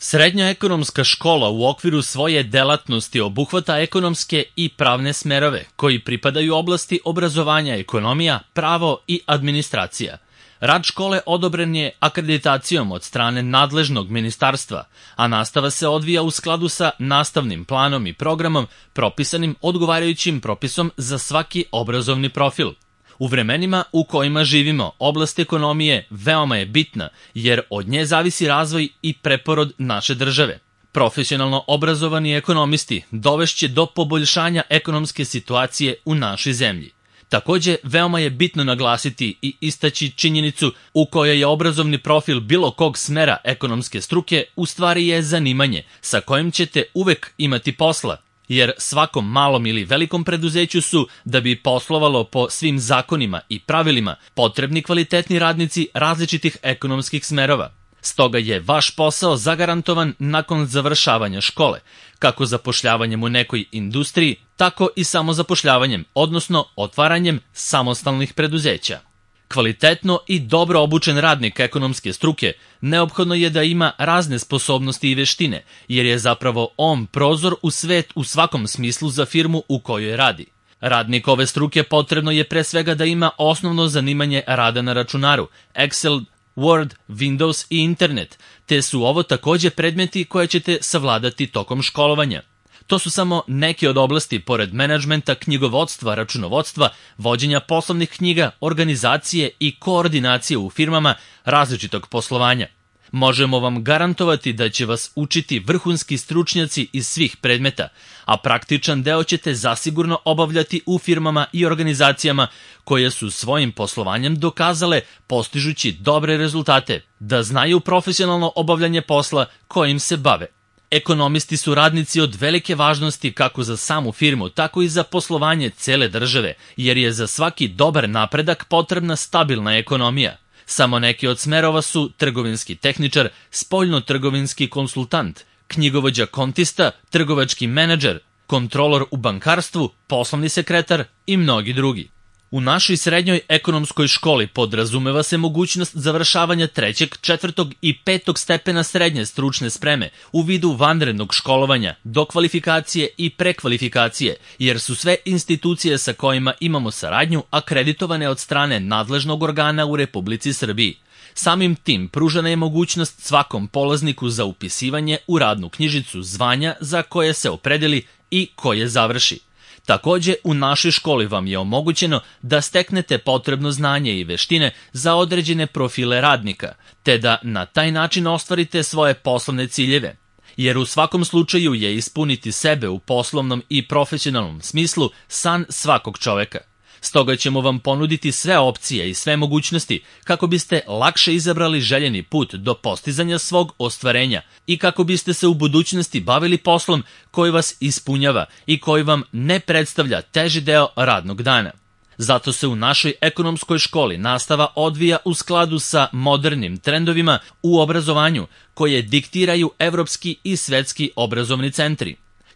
Srednja ekonomska škola u okviru svoje delatnosti obuhvata ekonomske i pravne smerove koji pripadaju oblasti obrazovanja, ekonomija, pravo i administracija. Rad škole odobren je akreditacijom od strane nadležnog ministarstva, a nastava se odvija u skladu sa nastavnim planom i programom propisanim odgovarajućim propisom za svaki obrazovni profil. U vremenima u kojima živimo, oblast ekonomije veoma je bitna jer od nje zavisi razvoj i preporod naše države. Profesionalno obrazovani ekonomisti dovešće do poboljšanja ekonomske situacije u našoj zemlji. Takođe, veoma je bitno naglasiti i istaći činjenicu u kojoj je obrazovni profil bilo kog smera ekonomske struke u stvari je zanimanje sa kojim ćete uvek imati posla, jer svakom malom ili velikom preduzeću su, da bi poslovalo po svim zakonima i pravilima, potrebni kvalitetni radnici različitih ekonomskih smerova. Stoga je vaš posao zagarantovan nakon završavanja škole, kako zapošljavanjem u nekoj industriji, tako i samozapošljavanjem, odnosno otvaranjem samostalnih preduzeća. Kvalitetno i dobro obučen radnik ekonomske struke neophodno je da ima razne sposobnosti i veštine, jer je zapravo on prozor u svet u svakom smislu za firmu u kojoj radi. Radnik ove struke potrebno je pre svega da ima osnovno zanimanje rada na računaru, Excel, Word, Windows i internet, te su ovo takođe predmeti koje ćete savladati tokom školovanja. To su samo neke od oblasti pored menadžmenta, knjigovodstva, računovodstva, vođenja poslovnih knjiga, organizacije i koordinacije u firmama različitog poslovanja. Možemo vam garantovati da će vas učiti vrhunski stručnjaci iz svih predmeta, a praktičan deo ćete zasigurno obavljati u firmama i organizacijama koje su svojim poslovanjem dokazale, postižući dobre rezultate, da znaju profesionalno obavljanje posla kojim se bave. Ekonomisti su radnici od velike važnosti kako za samu firmu, tako i za poslovanje cele države, jer je za svaki dobar napredak potrebna stabilna ekonomija. Samo neki od smerova su trgovinski tehničar, spoljno-trgovinski konsultant, knjigovođa kontista, trgovački menadžer, kontrolor u bankarstvu, poslovni sekretar i mnogi drugi. U našoj srednjoj ekonomskoj školi podrazumeva se mogućnost završavanja 3., 4. i 5. stepena srednje stručne spreme u vidu vanrednog školovanja, dokvalifikacije i prekvalifikacije, jer su sve institucije sa kojima imamo saradnju akreditovane od strane nadležnog organa u Republici Srbiji. Samim tim pružena je mogućnost svakom polazniku za upisivanje u radnu knjižicu zvanja za koje se opredeli i koje završi. Takođe, u našoj školi vam je omogućeno da steknete potrebno znanje i veštine za određene profile radnika, te da na taj način ostvarite svoje poslovne ciljeve. Jer u svakom slučaju je ispuniti sebe u poslovnom i profesionalnom smislu san svakog čoveka. Stoga ćemo vam ponuditi sve opcije i sve mogućnosti kako biste lakše izabrali željeni put do postizanja svog ostvarenja i kako biste se u budućnosti bavili poslom koji vas ispunjava i koji vam ne predstavlja teži deo radnog dana. Zato se u našoj ekonomskoj školi nastava odvija u skladu sa modernim trendovima u obrazovanju koje diktiraju evropski i svetski obrazovni centri.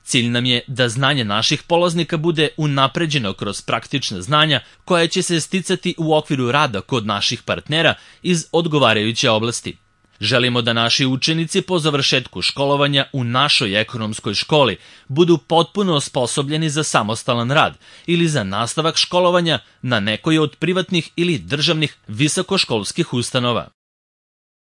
Cilj nam je da znanje naših polaznika bude unapređeno kroz praktična znanja koja će se sticati u okviru rada kod naših partnera iz odgovarajuće oblasti. Želimo da naši učenici po završetku školovanja u našoj ekonomskoj školi budu potpuno osposobljeni za samostalan rad ili za nastavak školovanja na nekoj od privatnih ili državnih visokoškolskih ustanova.